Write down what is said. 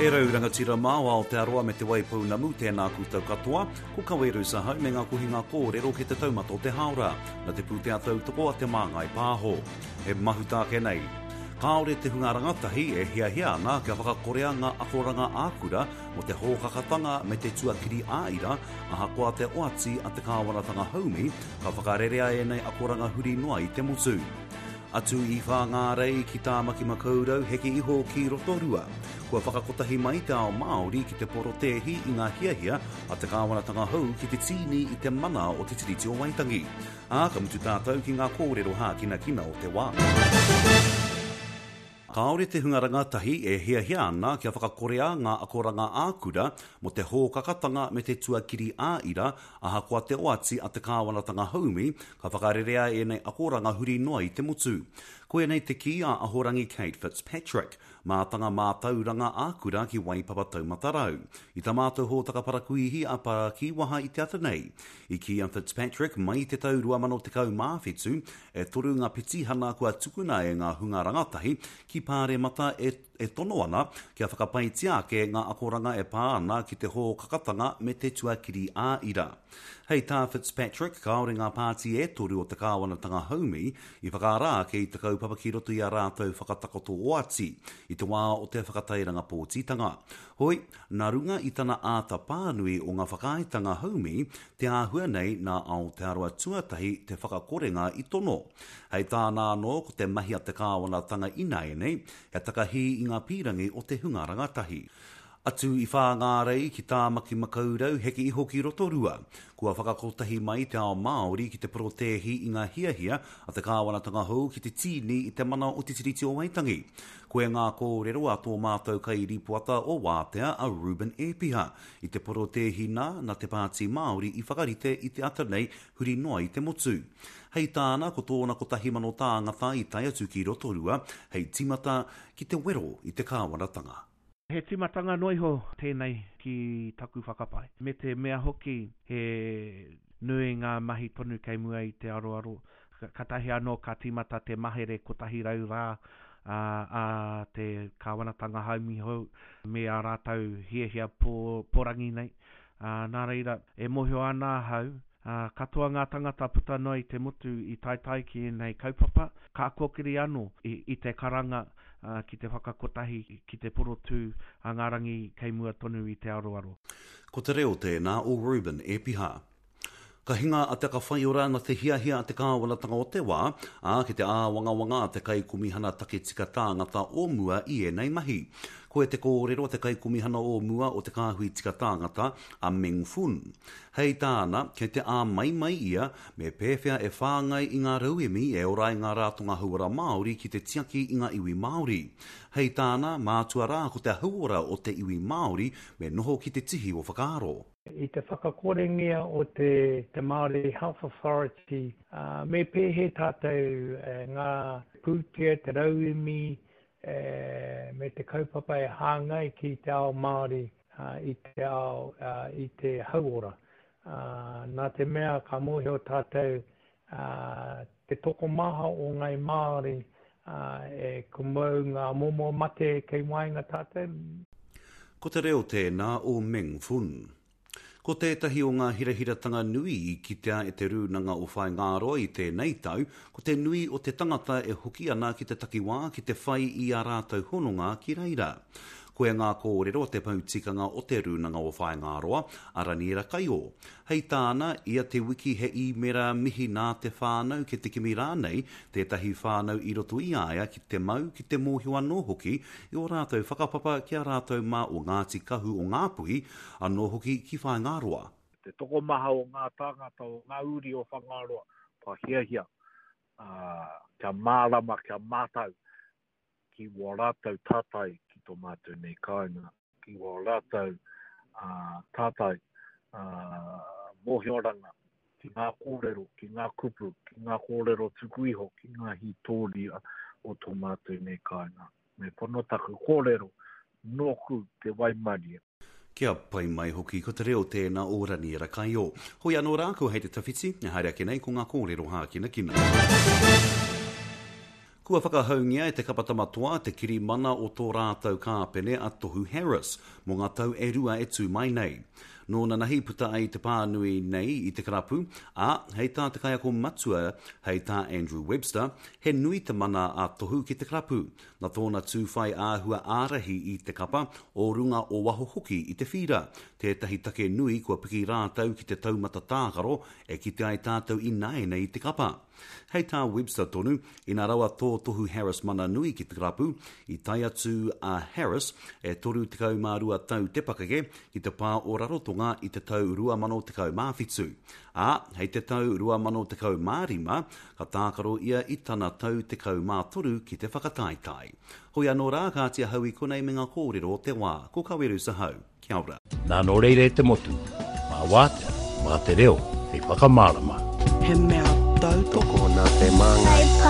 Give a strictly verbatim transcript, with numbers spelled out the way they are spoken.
E rau rangatira mā o Aotearoa me Te Waipounamu, tēnā koutou katoa, ko Kawerus ahau me ngā kohinga kōrero ki te taumata o te hāora, na te pūtea tautoko a Te Māngai Pāho. E mahuta ake nei. Kāore te hunga rangatahi e hiahia ana kia whakakorea ngā akoranga ā-kura mō te hōkakatanga me te tuakiri ā-ira, ahakoa te oati a te kāwanatanga haumi, ka whakarerea ēnei akoranga huri noa i te motu. Atu i Whāngārei ki Tāmaki Makaurau, heke iho ki Rotorua. Kua whakakotahi mai te ao Māori ki te porotēhi i ngā hiahia a te kāwanatanga hou ki te tīni i te mana o te Tiriti o Waitangi. Ā, ka mutu tātou ki ngā kōrero hākinakina o te wā. Kāore te hunga rangatahi e hiahia ana kia whakakorea ngā akoranga ā-kura mō te hōkakatanga me te tuakiri ā-ira, ahakoa te oati a te kāwanatanga haumi, ka whakarerea ēnei akoranga huri noa i te motu. Koinei te kī a Ahorangi Kate Fitzpatrick, mātanga mātauranga ā-kura ki Waipapa Taumata Rau. I tā mātou hōtaka parakuihi a Parakiwaha i te ata nei, i kī a Fitzpatrick mai i te tau rua mano tekau mā whitu, e toru ngā petihana kua tukuna e ngā hunga rangatahi ki Pāremata e e tono ana kia whakapaitia ake ngā akoranga e pā ana ki te hōkakatanga me te tuakiri ā-ira. Hei tā Fitzpatrick, kāore ngā pāti e toru o te kāwanatanga haumi i whakaara ake i te kaupapa ki roto i a rātou whakatakoto oati i te wā o te whakatairanga pōtitanga. Hoi, nā runga i tana āta pānui o ngā whakaaetanga haumi, te āhua nei nā Aotearoa Tuatahi te whakakorenga i tono. Hei tāna anō, ko te mahi a te kāwanatanga ināianei, he takahī i ngā pīrangi o te hunga rangatahi. Atu i Whāngārei ki Tāmaki Makaurau, heke iho ki Rotorua. Kua whakakotahi mai te ao Māori ki te porotēhi i ngā hiahia a te kāwanatanga hou ki te tīni i te mana o te Tiriti o Waitangi. Koe ngā kōrero a tō mātou kairīpoata o Wātea a Reuben Ēpiha i te porotēhi nā na te Pāti Māori i whakarite i te ata nei huri noa i te motu. Hei tāna, ko tōna kotahi mano tāngata i tae atu ki Rotorua hei tīmata ki te wero i te kāwanatanga. He tīmatanga noa iho tēnei ki taku whakapae, me te mea hoki he nui ngā mahi tonu kei mua i te aroaro. Kātahi anō ka tīmata te mahere kotahi rau rā a te kāwanatanga haumi hou me ā rātou hiahia porangi nei. Nā reira, e mōhio ana ahau, katoa ngā tangata puta noa i te motu i taetae ki ēnei kaupapa, ka kōkiri anō i te karanga ki te whakakotahi, ki te porotū a ngā rangi kei mua tonu i te aroaro. Ko te reo tēnā o Reuben Ēpiha. Ka hinga a Te Aka Whaiora nā te hiahia a te kāwanatanga o te wā, ā, ki te āwangawanga a te Kaikomihana Take Tika Tāngata o mua i ēnei mahi. Koe te kōrero a te Kaikomihana o mua o Te Kāhui Tika Tāngata, a Meng Foon. Hei tāna, kei te āmaimai ia me pēwhea e whāngai i ngā rauemi e ora ai ngā ratonga hauora Māori ki te tiaki i ngā iwi Māori. Hei tāna, mātua rā ko te hauora o te iwi Māori me noho ki te tihi o whakaaro. I te whakakorengia o te, te Māori Health Authority, uh, me pēhea tātou eh, ngā pūtea, te rauemi, eh, me te kaupapa e hāngai ki te ao Māori uh, i te ao, uh, i te hauora. Uh, nā te mea ka mōhio tātou uh, te tokomaha o ngai Māori uh, e kumau ngā momo mate kei waenga tātou. Ko te reo tēnā o Meng Foon. Ko tētahi o ngā hirahiratanga nui i kitea e te Rūnanga o Whāingaroa i tēnei tau, ko te nui o te tangata e hoki ana ki te takiwā ki te whai i ā rātou hononga ki reira. Koe ngā kōrero te poutikanga o te Rūnanga o Whāingaroa, a Raniera Kaio. Hei tāna, ia te wiki he īmera mihi nā te whānau ki te kimi rānei, tētahi whānau i roto i a ia ki te mau, ki te mōhio anō hoki i o rātou whakapapa ki a rātou mā o Ngāti Kahu o Ngāpuhi, anō hoki ki Whāingaroa. Te tokomaha o ngā tāngata o ngā uri o Whangaroa, kua hiahia, uh, kia mārama, kia mātau ki wā rātou tātai ki tō mātou nei kāinga, ki wā rātou uh, tātai uh, mōhioranga, ki ngā kōrero, ki ngā kupu, ki ngā kōrero tuku iho, ki ngā hītōria o tō mātou nei kāinga. Me pono taku kōrero, nōku te waimarie. Kia pai mai hoki ko te reo tēnā o Raniera Kaio. Hoi anō rā, ko hei te tawhiti, e haere ake nei ko ngā kōrero hākinakina. Kua whakahaungia e te kapa Tama Toa te kirimana o tō rātou kāpene a Tohu Harris mō ngā tau e rua e tū mai nei. Nō nanahi puta ai te pānui nei i te karapu, ā, hei tā te kaiako matua, hei tā Andrew Webster, he nui te mana a Tohu ki te karapu, nā tōna tū whai āhua ārahi i te kapa, o runga o waho hoki i te whīra, tētahi take nui kua piki rātou ki te taumata tākaro e kite ai tātou ināianei i te kapa. Hei tā Webster tonu, ina rawa tō Tohu Harris mana nui ki te karapu, i tae atu a Harris, e toru tekau mā rua tau te pakeke, ki te pā o Rarotonga i te tau rua mano tekau mā whitu. Ā, hei te tau rua mano tekau mā rima, ka tākaro ia i tana tau tekau mā toru ki te whakataetae. Hoi anō rā, kāti ahau i konei me ngā kōrero o te wā. Ko Kaweru Sahau. Kia ora. Nā nō reira e te motu, mā wātea, mā te reo, hei whakamārama. He mea tautoko Tokona te māngai. Hei